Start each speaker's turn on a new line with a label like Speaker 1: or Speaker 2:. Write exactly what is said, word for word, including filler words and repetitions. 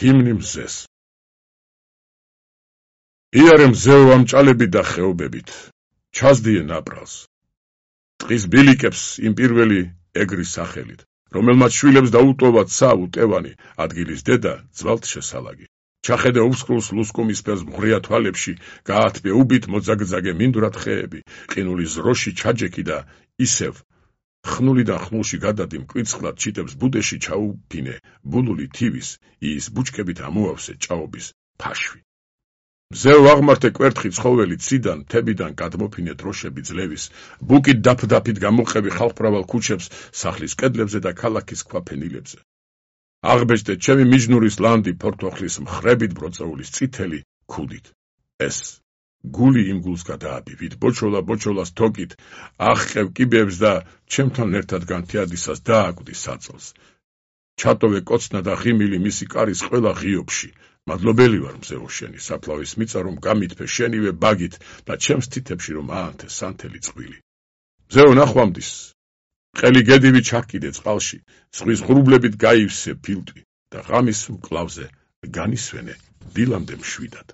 Speaker 1: ჰიმნი მზეს. იარე მზეო ამჭალებით და ხეობებით, ჩასდიე ნაპრალს. ტყის ბილიკებს იმ პირველი ეგრის სახელით, რომელმაც შვილებს დაუტოვათ ცა უტევანი, ადგილის დედა ძვალთ შესალაგი. ჩახედე უსკრულს ლუსკუმის ფერს მღრია თვალებში, გაათბე უბით მოძაგძაგე მინდვრად ხეები, ყინული ზროში ჩაჯექი და ისევ ხნულიდან ხნულში გადადი მკვიცხლად ჩიტებს ბუდეში ჩაუფინე, ბულული თივის, ის ბუჩქებით ამოავსე ჭაობის ფაშვი. მზეო აღმართე კვერთხი ცხოველი ციდან, თებიდან გადმოფინე დროშები ძლევის, ბუკით დაფდაფით გამოყევი ხალხმრავალ ქუჩებს სახლის კედლებზე და ქალაქის ქვაფენილებზე. აღბეჭდე ჩემი მიჯნურის ლანდი ფორთოხლის მხრებით ბროწეულის წითელი ქუდით. ეს გული იმ გულს გადააბივით, ბოჩოლა ბოჩოლას თოკით, აღყევ კიბეებს და ჩემთან ერთად განთიადისას დააკვდი საწოლს. ჩატოვე კოცნა და ღიმილი მისი კარის ყველა ღიობში. მადლობელი ვარ მზეო შენი, საფლავის მიწა რომ გამითფე შენივე ბაგით და ჩემს თითებში რომ აანთე სანთელი წყვილი. მზეო ნახვამდის, ყელი გედივი ჩაკიდე წყალში, ზღვის ღრუბლებით გაივსე ფილტვი და ღამის მკლავზე განისვენე დილამდე მშვიდად.